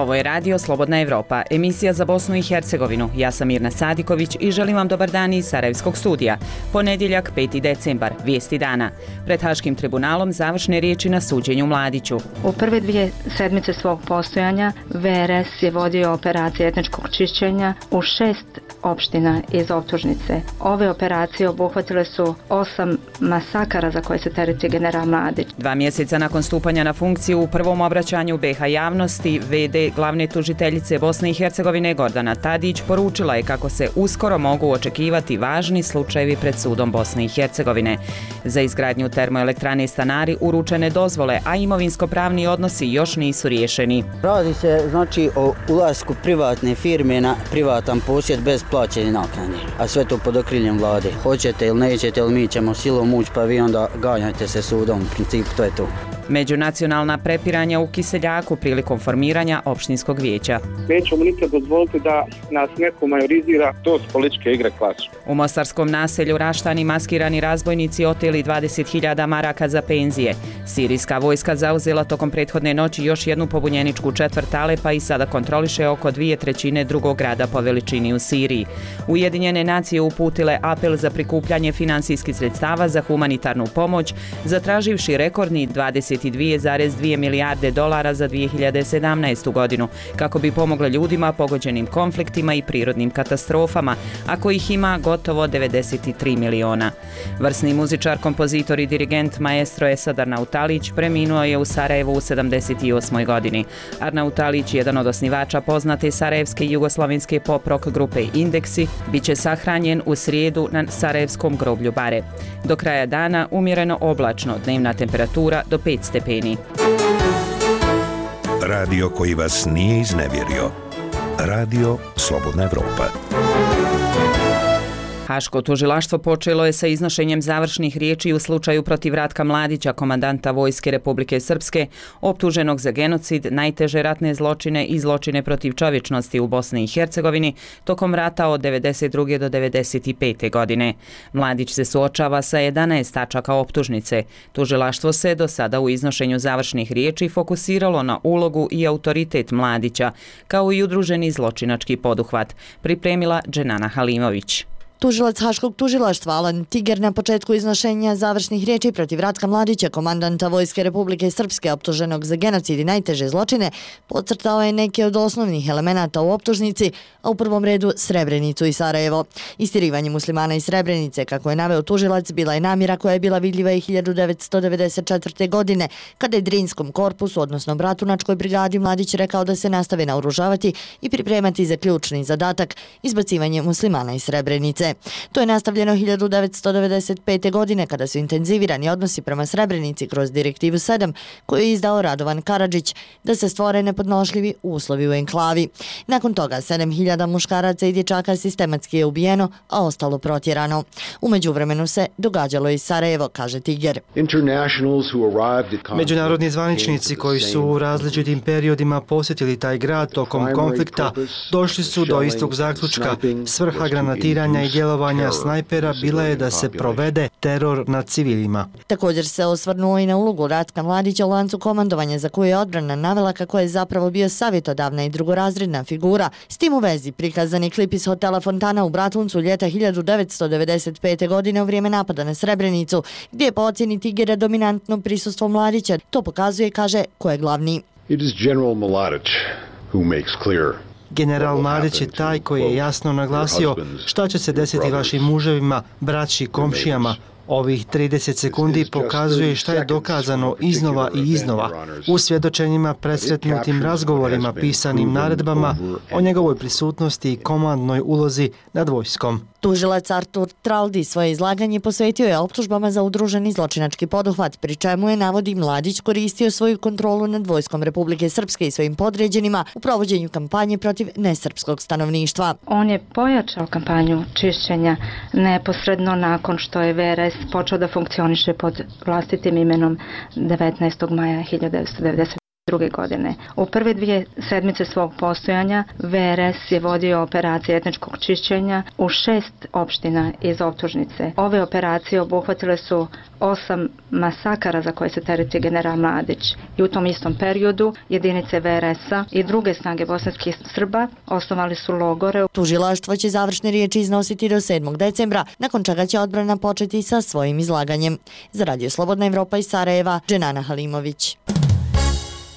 Ovo je Radio Slobodna Evropa, emisija za Bosnu i Hercegovinu. Ja sam Mirna Sadiković i želim vam dobar dan iz Sarajevskog studija. Ponedjeljak, 5. decembar, vijesti dana. Pred Haškim tribunalom završne riječi na suđenju Mladiću. U prve 2 sedmice svog postojanja VRS je vodio operacije etničkog čišćenja u 6 opština iz optužnice. Ove operacije obuhvatile su 8 masakara za koje se tereti general Mladić. 2 mjeseca nakon stupanja na funkciju u prvom obraćanju BiH javnosti, VD glavne tužiteljice Bosne i Hercegovine Gordana Tadić poručila je kako se uskoro mogu očekivati važni slučajevi pred sudom Bosne i Hercegovine. Za izgradnju termoelektrane Stanari uručene dozvole, a imovinsko-pravni odnosi još nisu riješeni. Radi se o ulasku privatne firme na privatan posjed bez plaćanja naknade, a sve to pod okriljem vlade. Hoćete ili nećete, ili mi ćemo silom ući, pa vi onda ganjajte se sudom, u principu to je to. Međunacionalna prepiranja u Kiseljaku prilikom formiranja opštinskog vijeća. Nećemo nikad dozvoliti da nas neko majorizira, to su političke igre klasične. U mostarskom naselju Raštani maskirani razbojnici oteli 20.000 maraka za penzije. Sirijska vojska zauzela tokom prethodne noći još jednu pobunjeničku četvrt Alepa i sada kontroliše oko 2/3 drugog grada po veličini u Siriji. Ujedinjene nacije uputile apel za prikupljanje finansijskih sredstava za humanitarnu pomoć, zatraživši rekordni 22,2 milijarde dolara za 2017. godinu, kako bi pomogle ljudima pogođenim konfliktima i prirodnim katastrofama, a kojih ima gotovo 93 miliona. Vrsni muzičar, kompozitor i dirigent maestro Esad Arnautalić preminuo je u Sarajevu u 78. godini. Arnautalić, jedan od osnivača poznate sarajevske i jugoslavenske pop-rock grupe Indeksi, bit će sahranjen u srijedu na sarajevskom groblju Bare. Do kraja dana umjereno oblačno, dnevna temperatura do 5 stepeni. Radio koji vas nije iznevjerio. Radio Slobodna Evropa. Haško tužilaštvo počelo je sa iznošenjem završnih riječi u slučaju protiv Ratka Mladića, komandanta Vojske Republike Srpske, optuženog za genocid, najteže ratne zločine i zločine protiv čovječnosti u Bosni i Hercegovini tokom rata od 92. do 95. godine. Mladić se suočava sa 11 tačaka optužnice. Tužilaštvo se do sada u iznošenju završnih riječi fokusiralo na ulogu i autoritet Mladića, kao i udruženi zločinački poduhvat, pripremila Dženana Halimović. Tužilac Haškog tužilaštva Alan Tiger na početku iznošenja završnih riječi protiv Ratka Mladića, komandanta Vojske Republike Srpske optuženog za genocid i najteže zločine, podcrtao je neke od osnovnih elemenata u optužnici, a u prvom redu Srebrenicu i Sarajevo. Istirivanje muslimana iz Srebrenice, kako je naveo tužilac, bila je namjera koja je bila vidljiva i 1994. godine, kada je Drinskom korpusu, odnosno Bratunačkoj brigadi, Mladić rekao da se nastave naoružavati i pripremati za ključni zadatak, izbacivanje muslimana iz Srebrenice. To je nastavljeno 1995. godine kada su intenzivirani odnosi prema Srebrenici kroz Direktivu 7 koju je izdao Radovan Karadžić da se stvore nepodnošljivi uslovi u enklavi. Nakon toga 7.000 muškaraca i dječaka sistematski je ubijeno, a ostalo protjerano. U međuvremenu se događalo i Sarajevo, kaže Tiger. Međunarodni zvaničnici koji su u različitim periodima posjetili taj grad tokom konflikta došli su do istog zaključka. Svrha granatiranja i djelovanja snajpera bila je da se provede teror nad civilima. Također se osvrnuo i na ulogu Ratka Mladića u lancu komandovanja, za koju je odbrana navela kako je zapravo bio savjetodavna i drugorazredna figura. S tim u vezi prikazan je klip iz hotela Fontana u Bratuncu ljeta 1995. godine u vrijeme napada na Srebrenicu, gdje je po ocjeni Tigera dominantno prisustvo Mladića. To pokazuje, kaže, ko je glavni. It is General Mladić who makes clear. General Mladić je taj koji je jasno naglasio šta će se desiti vašim muževima, braći, komšijama. Ovih 30 sekundi pokazuje šta je dokazano iznova i iznova u svjedočenjima, presretnutim razgovorima, pisanim naredbama o njegovoj prisutnosti i komandnoj ulozi nad vojskom. Tužilac Artur Traldi svoje izlaganje posvetio je optužbama za udruženi zločinački poduhvat, pri čemu je, navodi, Mladić koristio svoju kontrolu nad vojskom Republike Srpske i svojim podređenima u provođenju kampanje protiv nesrpskog stanovništva. On je pojačao kampanju čišćenja neposredno nakon što je VRS počeo da funkcioniše pod vlastitim imenom 19. maja 1990. godine. U prve 2 sedmice svog postojanja VRS je vodio operacije etničkog čišćenja u 6 opština iz optužnice. Ove operacije obuhvatile su 8 masakara za koje se tereti general Mladić. I u tom istom periodu jedinice VRS-a i druge snage bosanskih Srba osnovali su logore. Tužilaštvo će završne riječi iznositi do 7. decembra, nakon čega će odbrana početi sa svojim izlaganjem. Za Radio Slobodna Evropa iz Sarajeva, Dženana Halimović.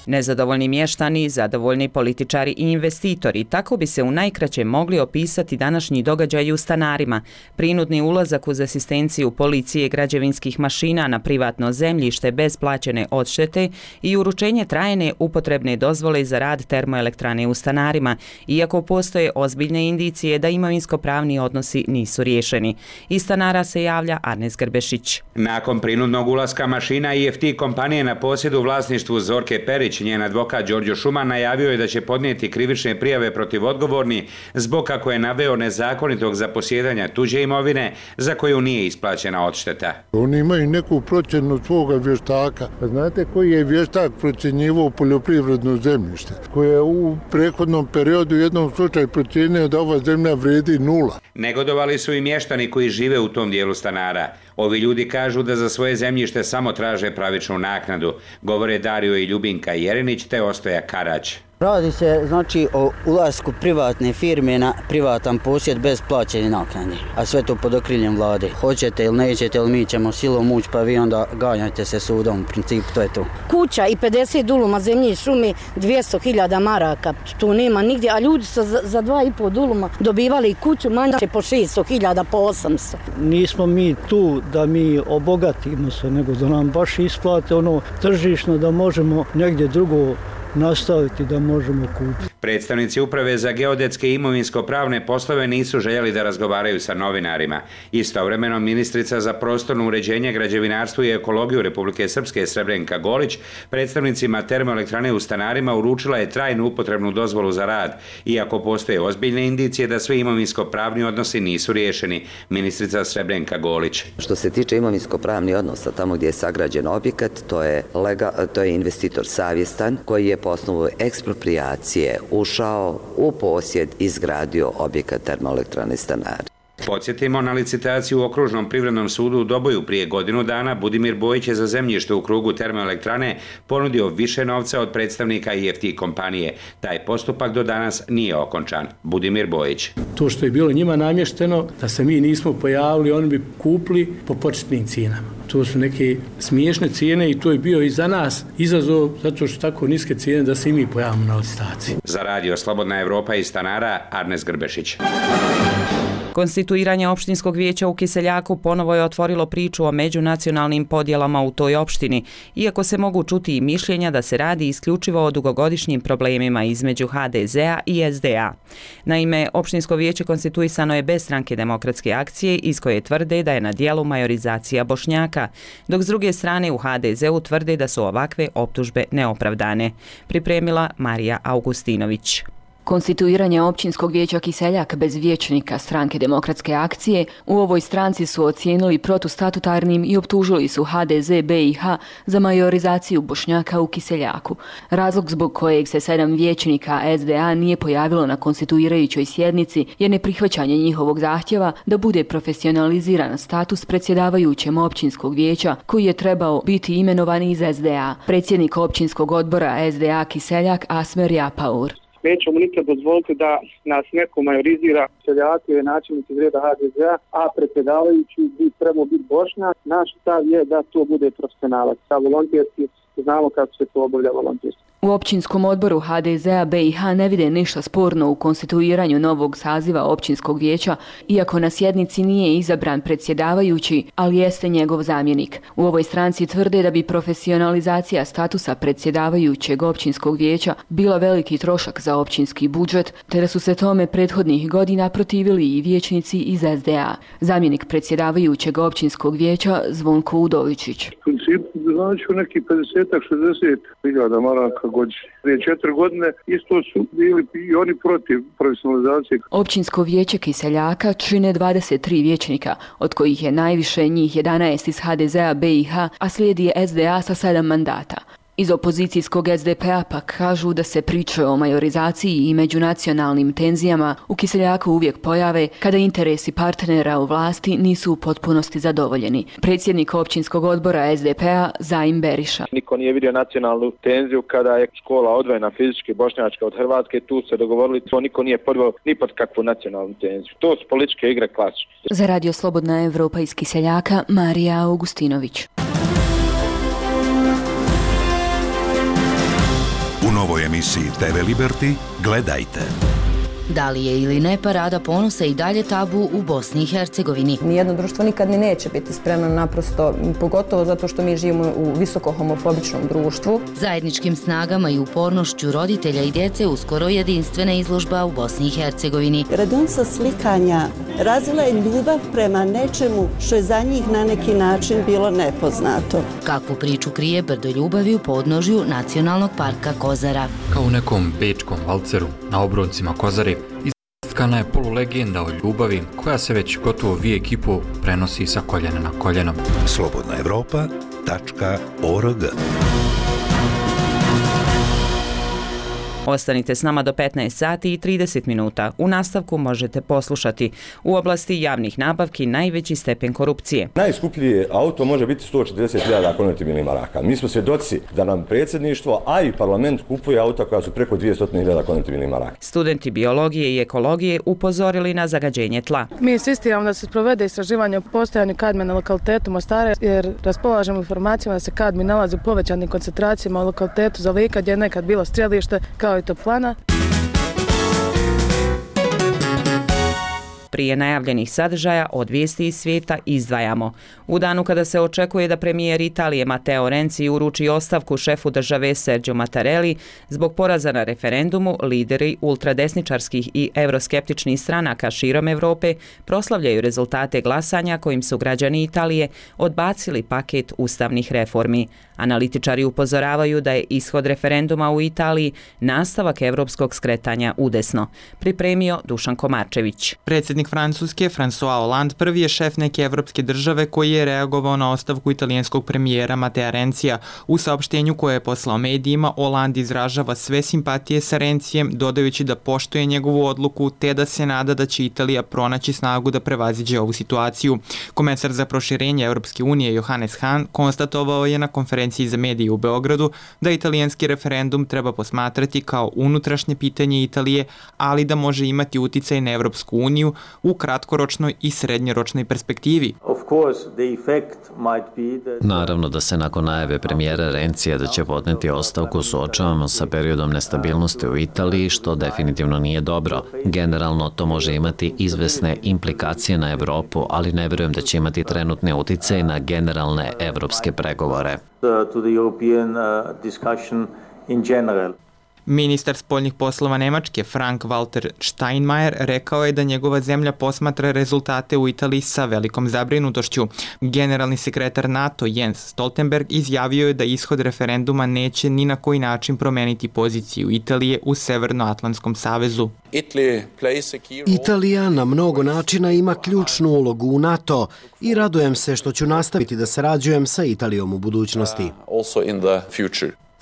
Nezadovoljni mještani, zadovoljni političari i investitori, tako bi se u najkraće mogli opisati današnji događaj u Stanarima. Prinudni ulazak uz asistenciju policije građevinskih mašina na privatno zemljište bez plaćene odštete i uručenje trajne upotrebne dozvole za rad termoelektrane u Stanarima, iako postoje ozbiljne indicije da imovinsko-pravni odnosi nisu riješeni. Iz Stanara se javlja Arnes Grbešić. Nakon prinudnog ulaska mašina IFT kompanije na posjed u vlasništvu Zorke Perić, njen advokat Đorđo Šuman najavio je da će podnijeti krivične prijave protiv odgovorni zbog, kako je naveo, nezakonitog zaposjedanja tuđe imovine za koju nije isplaćena odšteta. Oni imaju neku procjenu svoga vještaka. Znate koji je vještak procjenjivao poljoprivredno zemljište, koje je u prethodnom periodu u jednom slučaju procjenio da ova zemlja vredi 0. Negodovali su i mještani koji žive u tom dijelu Stanara. Ovi ljudi kažu da za svoje zemljište samo traže pravičnu naknadu, govore Dario i Ljubinka Jerinić te Ostoja Karać. Radi se znači o ulasku privatne firme na privatan posjed bez plaćene naknade, a sve to pod okriljem vlade. Hoćete ili nećete, ili mi ćemo silom ući, pa vi onda ganjajte se sudom, u principu to je to. Kuća i 50 duluma zemlje i šumi, 200.000 maraka, tu nema nigdje, a ljudi su za 2,5 duluma dobivali kuću manje po 600.000, po 800. Nismo mi tu da mi obogatimo se, nego da nam baš isplate ono tržišno da možemo negdje drugo nastaviti, da možemo kupiti. Predstavnici Uprave za geodetske i imovinsko-pravne poslove nisu željeli da razgovaraju sa novinarima. Istovremeno ministrica za prostorno uređenje, građevinarstvo i ekologiju Republike Srpske Srebrenka Golić predstavnicima termoelektrane u Stanarima uručila je trajnu upotrebnu dozvolu za rad, iako postoje ozbiljne indicije da svi imovinsko-pravni odnosi nisu riješeni. Ministrica Srebrenka Golić. Što se tiče imovinsko-pravni odnosa, tamo gdje je sagrađen objekat, to je investitor savjestan koji je po osnovu eksproprijacije ušao u posjed i izgradio objekat termoelektrane Stanari. Podsjetimo, na licitaciju u Okružnom privrednom sudu u Doboju prije godinu dana Budimir Bojić je za zemljište u krugu termoelektrane ponudio više novca od predstavnika IFT kompanije. Taj postupak do danas nije okončan. Budimir Bojić. To što je bilo njima namješteno, da se mi nismo pojavili, oni bi kupili po početnim cijenama. To su neke smiješne cijene i to je bio i za nas izazov, zato što tako niske cijene da se i mi pojavimo na licitaciji. Za Radio Slobodna Evropa iz Stanara, Arnes Grbešić. Konstituiranje opštinskog vijeća u Kiseljaku ponovo je otvorilo priču o međunacionalnim podjelama u toj opštini, iako se mogu čuti i mišljenja da se radi isključivo o dugogodišnjim problemima između HDZ-a i SDA. Naime, opštinsko vijeće konstituisano je bez Stranke demokratske akcije, iz koje tvrde da je na dijelu majorizacija Bošnjaka, dok s druge strane u HDZ-u tvrde da su ovakve optužbe neopravdane. Pripremila Marija Augustinović. Konstituiranje općinskog vijeća Kiseljak bez vijećnika Stranke demokratske akcije u ovoj stranci su ocijenili protustatutarnim i optužili su HDZ BiH za majorizaciju Bošnjaka u Kiseljaku. Razlog zbog kojeg se 7 vijećnika SDA nije pojavilo na konstituirajućoj sjednici je neprihvaćanje njihovog zahtjeva da bude profesionaliziran status predsjedavajućem općinskog vijeća koji je trebao biti imenovan iz SDA. Predsjednik općinskog odbora SDA Kiseljak Asmer Japaur. Nećemo nikad dozvoliti da nas neko majorizira, seljaki i načelnici iz reda HDZ-a, a predsjedavajući bi trebao biti Bošnjak. Naš stav je da to bude profesionalac. Sa volonterski znamo kako se to obavlja volonterski. U općinskom odboru HDZ-a BiH ne vide ništa sporno u konstituiranju novog saziva općinskog vijeća, iako na sjednici nije izabran predsjedavajući, ali jeste njegov zamjenik. U ovoj stranci tvrde da bi profesionalizacija statusa predsjedavajućeg općinskog vijeća bila veliki trošak za općinski budžet, te da su se tome prethodnih godina protivili i vijećnici iz SDA. Zamjenik predsjedavajućeg općinskog vijeća Zvonko Udovičić. U principu znači neki 50-60.000 maraka godišnje. Prije 4 godine isto su bili i oni protiv profesionalizacije. Općinsko vijeće Kiseljaka čine 23 vijećnika, od kojih je najviše njih 11 iz HDZ-a BiH, a slijedi SDA sa 7 mandata. Iz opozicijskog SDP-a pak kažu da se priče o majorizaciji i međunacionalnim tenzijama u Kiseljaku uvijek pojave kada interesi partnera u vlasti nisu u potpunosti zadovoljeni. Predsjednik općinskog odbora SDP-a Zaim Beriša. Niko nije vidio nacionalnu tenziju kada je škola odvojena fizički bošnjačka od Hrvatske, tu se dogovorili, to niko nije podveo ni pod kakvu nacionalnu tenziju. To su političke igre klasične. Za Radio Slobodna Evropa iz Kiseljaka, Marija Augustinović. U novoj emisiji TV Liberty gledajte. Da li je ili ne parada ponosa i dalje tabu u Bosni i Hercegovini? Nijedno društvo nikad ni neće biti spremno, naprosto, pogotovo zato što mi živimo u visoko homofobičnom društvu. Zajedničkim snagama i upornošću roditelja i djece uskoro jedinstvena izložba u Bosni i Hercegovini. Radionica slikanja razvila je ljubav prema nečemu što je za njih na neki način bilo nepoznato. Kakvu priču krije brdo ljubavi u podnožju Nacionalnog parka Kozara? Kao u nekom bečkom valceru na obroncima Kozare istkana je polulegenda o ljubavi koja se već gotovo vijek i pol prenosi sa koljena na koljeno. slobodnaevropa.org. Ostanite s nama do 15 sati i 30 minuta. U nastavku možete poslušati: u oblasti javnih nabavki najveći stepen korupcije. Najskuplji auto može biti 140.000 konvertibilnih maraka. Mi smo svjedoci da nam predsjedništvo, a i parlament kupuje auta koja su preko 200.000 konvertibilnih maraka. Studenti biologije i ekologije upozorili na zagađenje tla. Mi insistiramo da se provede istraživanje o postojanju kadmija na lokalitetu Mostara, jer raspolažemo informacijama da se kadmij nalazi u povećanim koncentracijama u lokalitetu Zalika, gdje je nekad bilo strelište, kao i toplana. Prije najavljenih sadržaja od vijesti iz svijeta izdvajamo. U danu kada se očekuje da premijer Italije Matteo Renzi uruči ostavku šefu države Sergio Mattarelli zbog poraza na referendumu, lideri ultradesničarskih i euroskeptičnih stranaka širom Europe proslavljaju rezultate glasanja kojim su građani Italije odbacili paket ustavnih reformi. Analitičari upozoravaju da je ishod referenduma u Italiji nastavak europskog skretanja udesno. Pripremio Dušan Komarčević. Predsjednik Francuske, François Hollande, prvi je šef neke evropske države koji je reagovao na ostavku italijanskog premijera Mattea Renzija. U saopštenju koje je poslao medijima, Hollande izražava sve simpatije sa Renzijem, dodajući da poštuje njegovu odluku te da se nada da će Italija pronaći snagu da prevaziđe ovu situaciju. Komesar za proširenje Europske unije Johannes Hahn konstatovao je na konferenciji za medije u Beogradu da italijanski referendum treba posmatrati kao unutrašnje pitanje Italije, ali da može imati uticaj na Evropsku uniju u kratkoročnoj i srednjoročnoj perspektivi. Naravno da se nakon najave premijera Renzija da će podneti ostavku suočavamo sa periodom nestabilnosti u Italiji, što definitivno nije dobro. Generalno to može imati izvesne implikacije na Evropu, ali ne vjerujem da će imati trenutne uticaje na generalne evropske pregovore. Ministar spoljnih poslova Nemačke Frank-Walter Steinmeier rekao je da njegova zemlja posmatra rezultate u Italiji sa velikom zabrinutošću. Generalni sekretar NATO Jens Stoltenberg izjavio je da ishod referenduma neće ni na koji način promeniti poziciju Italije u Severnoatlantskom savezu. Italija na mnogo načina ima ključnu ulogu u NATO i radujem se što ću nastaviti da sarađujem sa Italijom u budućnosti.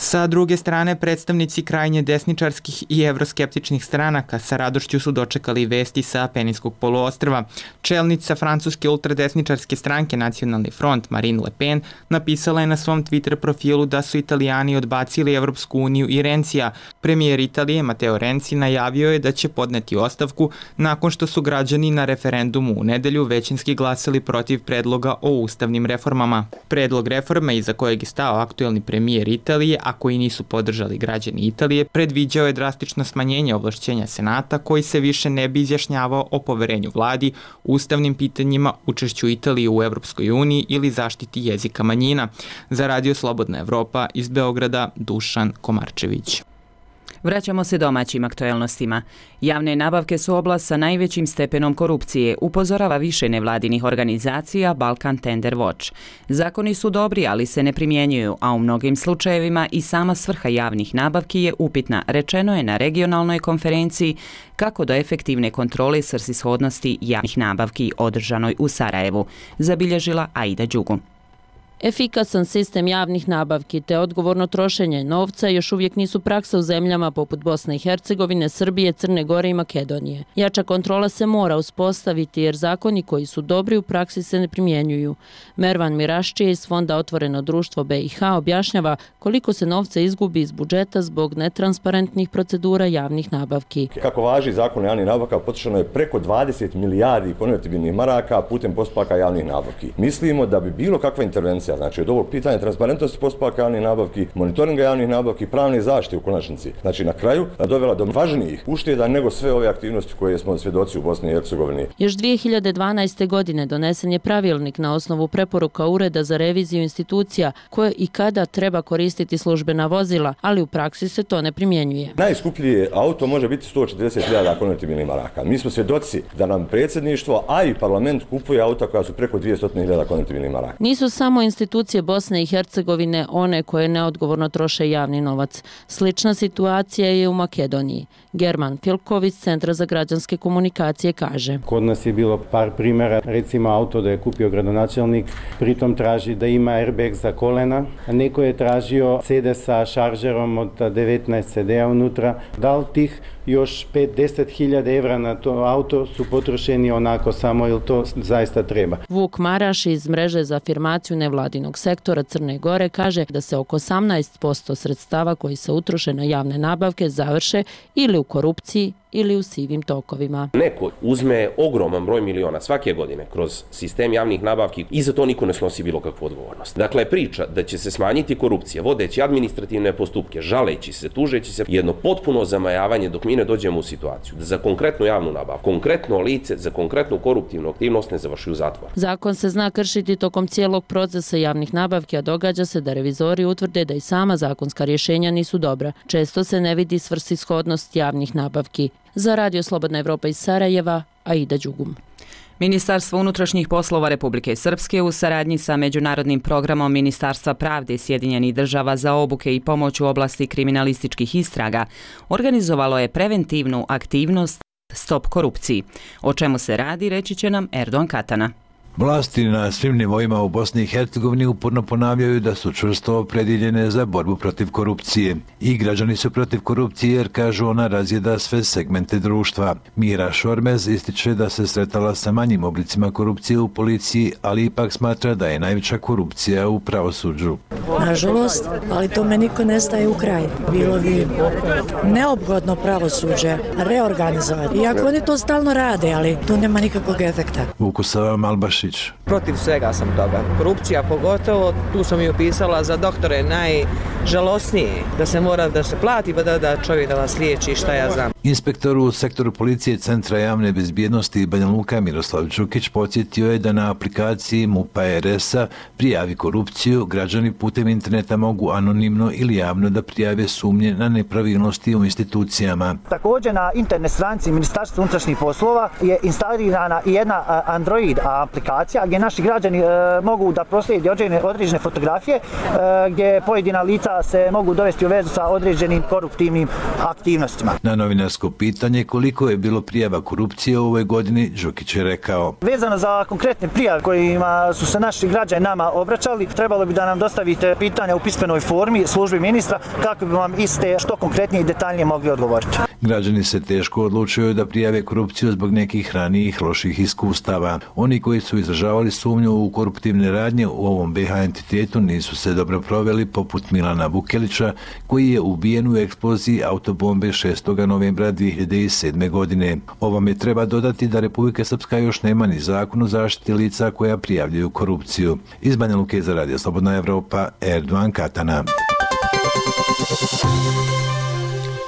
Sa druge strane, predstavnici krajnje desničarskih i evroskeptičnih stranaka sa radošću su dočekali vesti sa Apeninskog poluostrva. Čelnica francuske ultradesničarske stranke Nacionalni front Marine Le Pen napisala je na svom Twitter profilu da su Italijani odbacili Evropsku uniju i Renzija. Premijer Italije Matteo Renzi najavio je da će podneti ostavku nakon što su građani na referendumu u nedelju većinski glasali protiv predloga o ustavnim reformama. Predlog reforme iza kojeg je stao aktuelni premijer Italije, a koji nisu podržali građani Italije, predviđao je drastično smanjenje ovlašćenja Senata koji se više ne bi izjašnjavao o poverenju vladi, ustavnim pitanjima, učešću Italije u Evropskoj uniji ili zaštiti jezika manjina. Za Radio Slobodna Evropa iz Beograda, Dušan Komarčević. Vraćamo se domaćim aktuelnostima. Javne nabavke su oblast sa najvećim stepenom korupcije, upozorava više nevladinih organizacija Balkan Tender Watch. Zakoni su dobri, ali se ne primjenjuju, a u mnogim slučajevima i sama svrha javnih nabavki je upitna, rečeno je na regionalnoj konferenciji kako do efektivne kontrole svrsishodnosti javnih nabavki održanoj u Sarajevu, zabilježila Aida Đugu. Efikasan sistem javnih nabavki te odgovorno trošenje novca još uvijek nisu praksa u zemljama poput Bosne i Hercegovine, Srbije, Crne Gore i Makedonije. Jača kontrola se mora uspostaviti jer zakoni koji su dobri u praksi se ne primjenjuju. Mervan Miraščije iz Fonda Otvoreno društvo BiH objašnjava koliko se novca izgubi iz budžeta zbog netransparentnih procedura javnih nabavki. Kako važi zakon o javnih nabavka, potrošeno je preko 20 milijardi konvertibilnih maraka putem postupaka javnih nabavki. Mislimo da bi bilo kakva intervencija, znači od ovog pitanja transparentnosti postupaka javnih nabavki, monitoringa javnih nabavki, pravne zaštite u konačnici, znači na kraju dovela do važnijih ušteda nego sve ove aktivnosti koje smo svjedoci u Bosni i Hercegovini. Još 2012. godine donesen je pravilnik na osnovu preporuka Ureda za reviziju institucija koje i kada treba koristiti službena vozila, ali u praksi se to ne primjenjuje. Najskuplji auto može biti 140.000 konvertibilnih maraka. Mi smo svjedoci da nam predsjedništvo, a i parlament kupuje auta koja su preko 200.000 konvertibilnih maraka. Nisu samo institucije Bosne i Hercegovine one koje neodgovorno troše javni novac. Slična situacija je u Makedoniji. German Filković, Centra za građanske komunikacije, kaže. Kod nas je bilo par primjera, recimo auto da je kupio gradonačelnik, pritom traži da ima airbag za kolena, a neko je tražio CD sa šaržerom od 19 CD-a unutra. Da li tih još 5-10.000 evra na to auto su potrošeni onako samo ili to zaista treba. Vuk Maraš iz mreže za afirmaciju nevladinog sektora Crne Gore kaže da se oko 18% sredstava koji se utroše na javne nabavke završe ili u korupciji ili u sivim tokovima. Neko uzme ogroman broj miliona svake godine kroz sistem javnih nabavki i za to niko ne snosi bilo kakvu odgovornost. Dakle, priča da će se smanjiti korupcija, vodeći administrativne postupke, žaleći se, tužeći se, jedno potpuno zamajavanje dok mi ne dođemo u situaciju da za konkretnu javnu nabavku, konkretno lice, za konkretnu koruptivnu aktivnost ne završi u zatvor. Zakon se zna kršiti tokom cijelog procesa javnih nabavki, a događa se da revizori utvrde da i sama zakonska rješenja nisu dobra. Često se ne vidi svrsishodnost javnih nabavki. Za Radio Slobodna Evropa iz Sarajeva, Aida Đugum. Ministarstvo unutrašnjih poslova Republike Srpske u saradnji sa Međunarodnim programom Ministarstva pravde Sjedinjenih država za obuke i pomoć u oblasti kriminalističkih istraga organizovalo je preventivnu aktivnost Stop korupciji. O čemu se radi, reći će nam Erdogan Katana. Vlasti na svim nivoima u Bosni i Hercegovini uporno ponavljaju da su čvrsto opredjeljene za borbu protiv korupcije. I građani su protiv korupcije jer, kažu, ona razjeda sve segmente društva. Mira Šormez ističe da se sretala sa manjim oblicima korupcije u policiji, ali ipak smatra da je najveća korupcija u pravosuđu. Nažalost, ali tome niko ne staje u kraj. Bilo bi neophodno pravosuđe reorganizovati. Iako oni to stalno rade, ali tu nema nikakvog efekta. Vukusava Malbaši. Protiv svega sam toga. Korupcija pogotovo, tu sam i opisala za doktore najžalosnije, da se mora da se plati pa da čovjek da vas liječi, šta ja znam. Inspektor u sektoru policije Centra javne bezbjednosti Banja Luka Miroslav Đukić podsjetio je da na aplikaciji MUP-a RS-a prijavi korupciju, građani putem interneta mogu anonimno ili javno da prijave sumnje na nepravilnosti u institucijama. Također na internet stranici Ministarstva unutrašnjih poslova je instalirana i jedna Android aplikacija gdje naši građani mogu da proslijedi određene fotografije gdje pojedina lica se mogu dovesti u vezu sa određenim koruptivnim aktivnostima. Na novinarsko pitanje koliko je bilo prijava korupcije u ovoj godini, Đukić je rekao. Vezano za konkretne prijave kojima su se naši građani nama obraćali, trebalo bi da nam dostavite pitanja u pismenoj formi službi ministra kako bi vam iste što konkretnije i detaljnije mogli odgovoriti. Građani se teško odlučuju da prijave korupciju zbog nekih ranijih loših iskustava. Oni koji su izražavali sumnju u koruptivne radnje u ovom BiH entitetu nisu se dobro proveli, poput Milana Vukelića, koji je ubijen u eksploziji autobombe 6. novembra 2007. godine. Ovome treba dodati da Republika Srpska još nema ni zakon o zaštiti lica koja prijavljuju korupciju. Iz Banja Luke za Radio Slobodna Evropa, Erdogan Katana.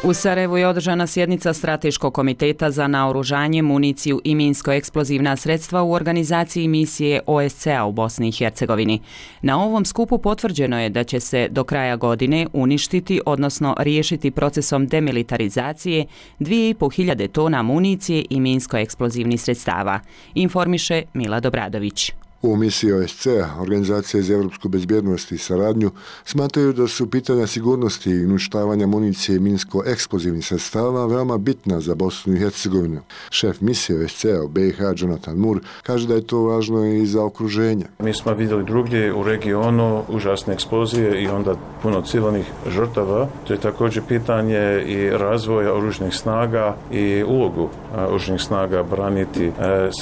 U Sarajevu je održana sjednica Strateškog komiteta za naoružanje, municiju i minsko-eksplozivna sredstva u organizaciji misije OSCE-a u Bosni i Hercegovini. Na ovom skupu potvrđeno je da će se do kraja godine uništiti, odnosno riješiti procesom demilitarizacije 2500 tona municije i minsko-eksplozivnih sredstava, informiše Mila Dobradović. U misiji OSCE, Organizacija za evropsku bezbjednost i saradnju, smatraju da su pitanja sigurnosti i uništavanja municije i minsko-eksplozivnih sredstava veoma bitna za Bosnu i Hercegovinu. Šef misije OSCE u BiH, Jonathan Moore, kaže da je to važno i za okruženje. Mi smo vidjeli drugdje u regionu užasne eksplozije i onda puno civilnih žrtava. To je također pitanje i razvoja oružnih snaga i ulogu oružnih snaga braniti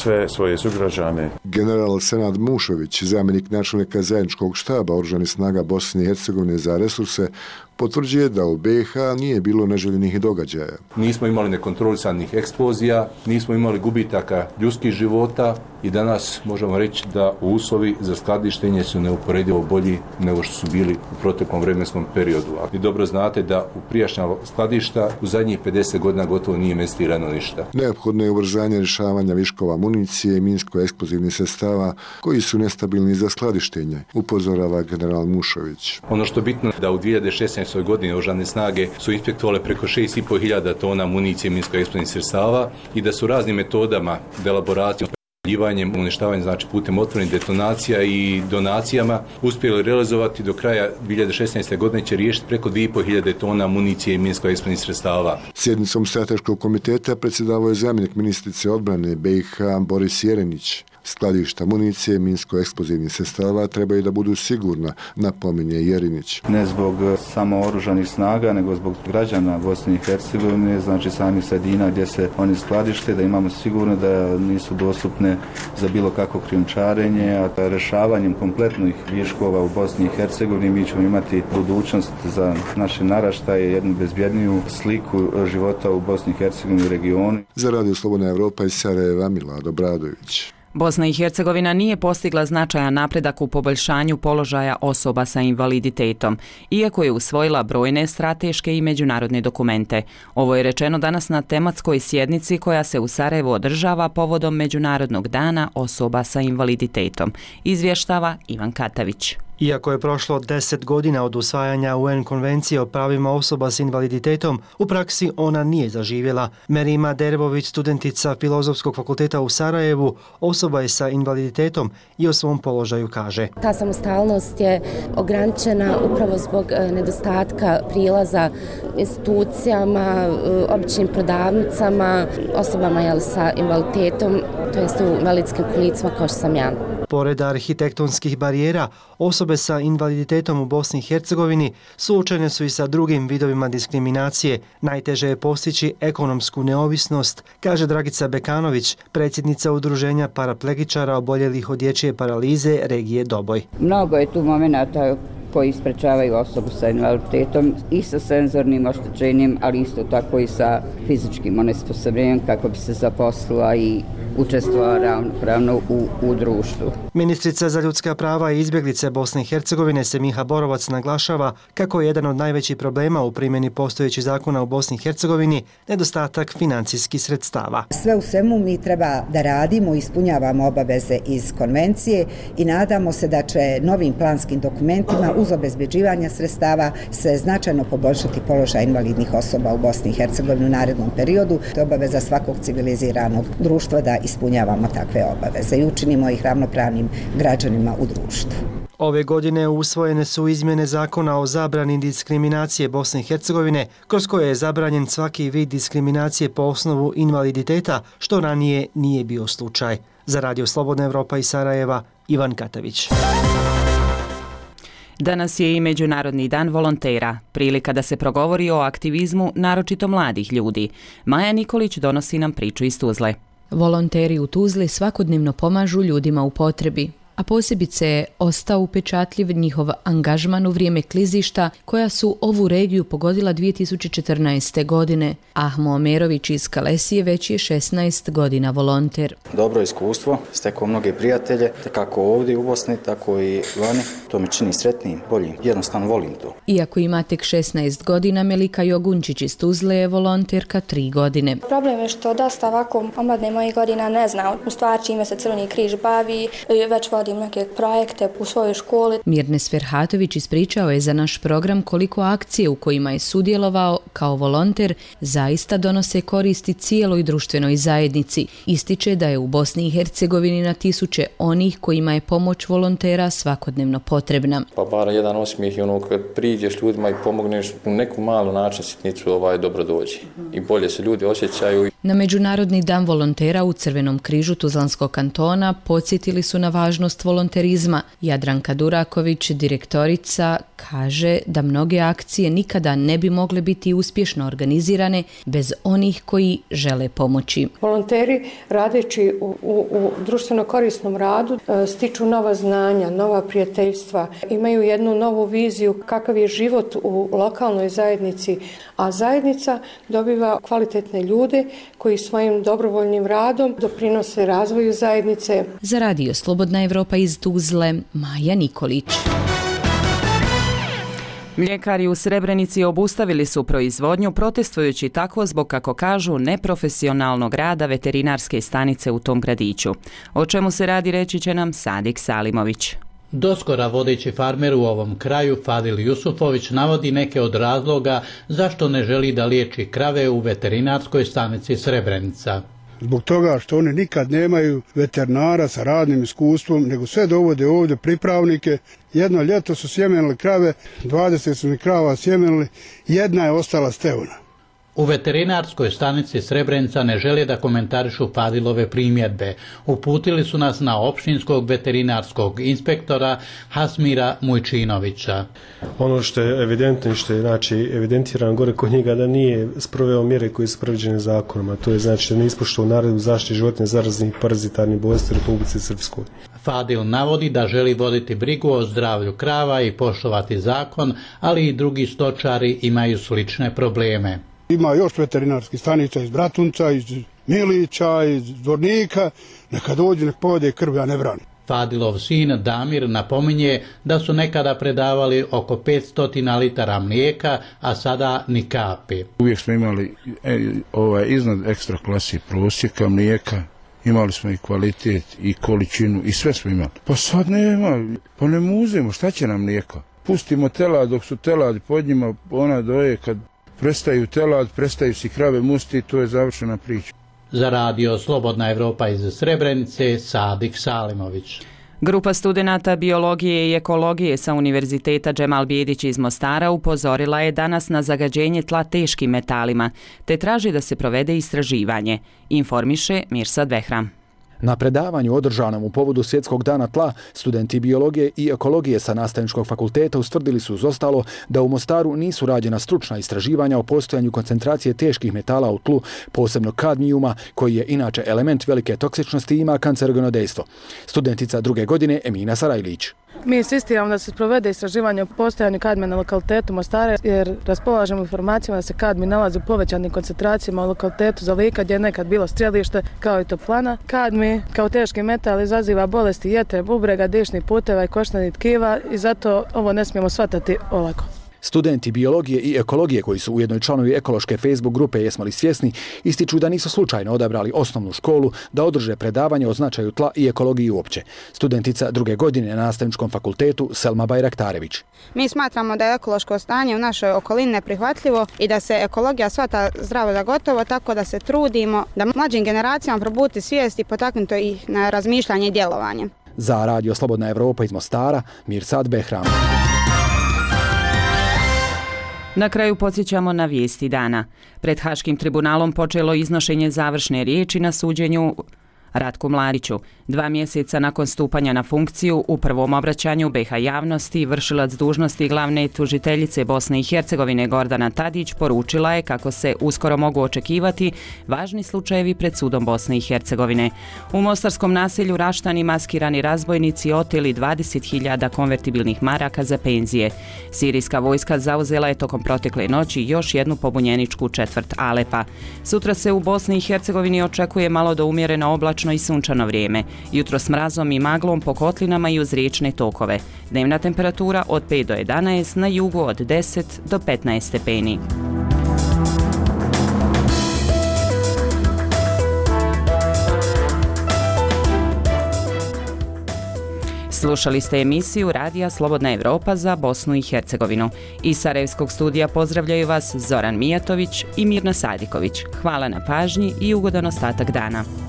sve svoje sugrađane. General Senad Mušović, zamjenik načelnika zajedničkog štaba oružanih snaga Bosne i Hercegovine za resurse, potvrđuje da u BiH nije bilo neželjenih događaja. Nismo imali nekontrolisanih eksplozija, nismo imali gubitaka ljudskih života i danas možemo reći da uslovi za skladištenje su neuporedivo bolji nego što su bili u proteklom vremenskom periodu. A vi dobro znate da u prijašnja skladišta u zadnjih 50 godina gotovo nije investirano ništa. Neophodno je ubrzanje rješavanja viškova municije i minsko-eksplozivnih sredstava koji su nestabilni za skladištenje, upozorava general Mušović. Ono što je bitno da u 2016. godini oružane snage su inspektovale preko 6.500 tona municije i minsko-eksplozivnih sredstava i da su raznim metodama, delaboracijom, uništavanjem, znači putem otvorenih detonacija i donacijama uspjeli realizovati do kraja 2016. godine će riješiti preko 2.500 tona municije i minsko-eksplozivnih sredstava. Sjednicom strateškog komiteta predsjedavao je zamjenik ministrice odbrane BiH Boris Jerenić. Skladišta municije i minsko-eksplozivnih sredstava trebaju da budu sigurna, napominje Jerinić. Ne zbog samo oružanih snaga, nego zbog građana Bosne i Hercegovine, znači samih sredina gdje se oni skladište, da imamo sigurno da nisu dostupne za bilo kakvo krijumčarenje, a rješavanjem kompletnih viškova u Bosni i Hercegovini mi ćemo imati budućnost za naše naraštaje, jednu bezbjedniju sliku života u Bosni i Hercegovini i regionu. Za Radio Slobodna Evropa iz Sarajeva, Milado Bradović. Bosna i Hercegovina nije postigla značajan napredak u poboljšanju položaja osoba sa invaliditetom, iako je usvojila brojne strateške i međunarodne dokumente. Ovo je rečeno danas na tematskoj sjednici koja se u Sarajevu održava povodom Međunarodnog dana osoba sa invaliditetom, izvještava Ivan Katavić. Iako je prošlo 10 godina od usvajanja UN konvencije o pravima osoba s invaliditetom, u praksi ona nije zaživjela. Merima Derbović, studentica Filozofskog fakulteta u Sarajevu, osoba je sa invaliditetom i o svom položaju kaže. Ta samostalnost je ograničena upravo zbog nedostatka prilaza institucijama, običnim prodavnicama, osobama sa invaliditetom, to jest u invalidskim kolicima kao što sam ja. Pored arhitektonskih barijera, osobe sa invaliditetom u Bosni i Hercegovini suočene su i sa drugim vidovima diskriminacije. Najteže je postići ekonomsku neovisnost, kaže Dragica Bekanović, predsjednica udruženja paraplegičara oboljelih od dječje paralize regije Doboj. Mnogo je tu momenata koji sprečavaju osobu sa invaliditetom i sa senzornim oštećenjem, ali isto tako i sa fizičkim onesposobljenjem kako bi se zaposlila i učestvovala ravnopravno u društvu. Ministrica za ljudska prava i izbjeglice Bosne i Hercegovine Semiha Borovac naglašava kako je jedan od najvećih problema u primjeni postojećih zakona u Bosni i Hercegovini nedostatak financijskih sredstava. Sve u svemu mi treba da radimo, ispunjavamo obaveze iz konvencije i nadamo se da će novim planskim dokumentima uz obezbeđivanje sredstava se značajno poboljšati položaj invalidnih osoba u Bosni i Hercegovini u narednom periodu. To je obaveza svakog civiliziranog društva da ispunjavamo takve obaveze i učinimo ih ravnopravnim građanima u društvu. Ove godine usvojene su izmjene zakona o zabrani diskriminacije Bosne i Hercegovine, kroz koje je zabranjen svaki vid diskriminacije po osnovu invaliditeta, što ranije nije bio slučaj. Za Radio Slobodna Evropa iz Sarajeva, Ivan Katavić. Danas je i Međunarodni dan volontera, prilika da se progovori o aktivizmu naročito mladih ljudi. Maja Nikolić donosi nam priču iz Tuzle. Volonteri u Tuzli svakodnevno pomažu ljudima u potrebi, a posebice je ostao upečatljiv njihov angažman u vrijeme klizišta koja su ovu regiju pogodila 2014. godine. Ahmo Omerović iz Kalesije već je 16 godina volonter. Dobro iskustvo, stekao mnoge prijatelje, kako ovdje u Bosni, tako i vani. To me čini sretnijim, boljim. Jednostavno volim to. Iako ima tek 16 godina, Melika Jogunčić iz Tuzle je volonterka 3 godine. Problem je što dosta ovako omladne mojih godina ne zna u stvari čime se Crveni križ bavi, već vodi provodim neke projekte u svojoj školi. Mirnes Ferhatović ispričao je za naš program koliko akcije u kojima je sudjelovao kao volonter zaista donose koristi cijeloj društvenoj zajednici. Ističe da je u Bosni i Hercegovini na tisuće onih kojima je pomoć volontera svakodnevno potrebna. Pa bar jedan osmijeh i kad priđeš ljudima i pomogneš u neku malu način sitnicu dobro dođe i bolje se ljudi osjećaju. Na Međunarodni dan volontera u Crvenom križu Tuzlanskog kantona podsjetili su na važnost volonterizma. Jadranka Duraković, direktorica, kaže da mnoge akcije nikada ne bi mogle biti uspješno organizirane bez onih koji žele pomoći. Volonteri radeći u društveno korisnom radu stiču nova znanja, nova prijateljstva, imaju jednu novu viziju kakav je život u lokalnoj zajednici, a zajednica dobiva kvalitetne ljude koji svojim dobrovoljnim radom doprinose razvoju zajednice. Za Radio Slobodna Evropa iz Tuzle, Maja Nikolić. Mljekari u Srebrenici obustavili su proizvodnju protestujući tako zbog, kako kažu, neprofesionalnog rada veterinarske stanice u tom gradiću. O čemu se radi reći će nam Sadik Salimović. Doskora vodeći farmer u ovom kraju Fadil Jusufović navodi neke od razloga zašto ne želi da liječi krave u veterinarskoj stanici Srebrenica. Zbog toga što oni nikad nemaju veterinara sa radnim iskustvom, nego sve dovode ovdje pripravnike. Jedno ljeto su sjemenili krave, 20 su mi krava sjemenili, jedna je ostala stevna. U veterinarskoj stanici Srebrenica ne žele da komentarišu Fadilove primjedbe. Uputili su nas na opštinskog veterinarskog inspektora Hasmira Mujčinovića. Ono što je evidentno i što je evidentiran gore kod njega da nije sproveo mjere koje su predviđene zakonom, a to je da ne ispoštovao naredbu zaštite životinja zaraznih parazitarnih bolesti u Republici Srpskoj. Fadil navodi da želi voditi brigu o zdravlju krava i poštovati zakon, ali i drugi stočari imaju slične probleme. Ima još veterinarskih stanica iz Bratunca, iz Milića, iz Zvornika, neka dođe, nek povede krv, ja ne branim. Fadilov sin Damir napominje da su nekada predavali oko 500 litara mlijeka, a sada ni kapi. Uvijek smo imali iznad ekstra klasi prosjeka mlijeka, imali smo i kvalitet i količinu i sve smo imali. Pa sad nema, pa ne muzemo, šta će nam mlijeko? Pustimo telad dok su teladi pod njima, ona doje kad prestaju telad, prestaju si krave musti, to je završena priča. Za Radio Slobodna Evropa iz Srebrenice, Sadik Salimović. Grupa studenata biologije i ekologije sa Univerziteta Džemal Bijedić iz Mostara upozorila je danas na zagađenje tla teškim metalima, te traži da se provede istraživanje, informiše Mirsad Behram. Na predavanju održanom u povodu Svjetskog dana tla, studenti biologije i ekologije sa Nastavničkog fakulteta ustvrdili su uz ostalo da u Mostaru nisu rađena stručna istraživanja o postojanju koncentracije teških metala u tlu, posebno kadmijuma, koji je inače element velike toksičnosti i ima kancerogeno dejstvo. Studentica druge godine Emina Sarajlić. Mi insistiramo da se provede istraživanje o postojanju kadmija na lokalitetu Mostara jer raspolažemo informacijama da se kadmij nalazi u povećanim koncentracijama u lokalitetu Zalika gdje je nekad bilo strjelište kao i toplana. Kadmij kao teški metal izaziva bolesti jetre, bubrega, dišnih puteva i koštani tkiva i zato ovo ne smijemo shvatati olako. Studenti biologije i ekologije koji su ujedno i članovi ekološke Facebook grupe Jesmo li svjesni ističu da nisu slučajno odabrali osnovnu školu da održe predavanje o značaju tla i ekologiji uopće. Studentica druge godine na Nastavničkom fakultetu Selma Bajraktarević. Mi smatramo da je ekološko stanje u našoj okolini neprihvatljivo i da se ekologija shvata zdravo za gotovo, tako da se trudimo da mlađim generacijama probuti svijest i potaknuti ih na razmišljanje i djelovanje. Za Radio Slobodna Evropa iz Mostara, Mirsad Behram. Na kraju podsjećamo na vijesti dana. Pred Haškim tribunalom počelo iznošenje završne riječi na suđenju Ratku Mladiću. 2 mjeseca nakon stupanja na funkciju, u prvom obraćanju BiH javnosti, vršilac dužnosti glavne tužiteljice Bosne i Hercegovine Gordana Tadić poručila je kako se uskoro mogu očekivati važni slučajevi pred sudom Bosne i Hercegovine. U mostarskom naselju Raštani maskirani razbojnici oteli 20.000 konvertibilnih maraka za penzije. Sirijska vojska zauzela je tokom protekle noći još jednu pobunjeničku četvrt Alepa. Sutra se u Bosni i Hercegovini očekuje malo do umjereno oblačno i sunčano vrijeme. Jutro s mrazom i maglom po kotlinama i uz riječne tokove. Dnevna temperatura od 5 do 11, na jugu od 10 do 15 stepeni. Slušali ste emisiju Radija Slobodna Evropa za Bosnu i Hercegovinu. Iz Sarajevskog studija pozdravljaju vas Zoran Mijatović i Mirna Sadiković. Hvala na pažnji i ugodan ostatak dana.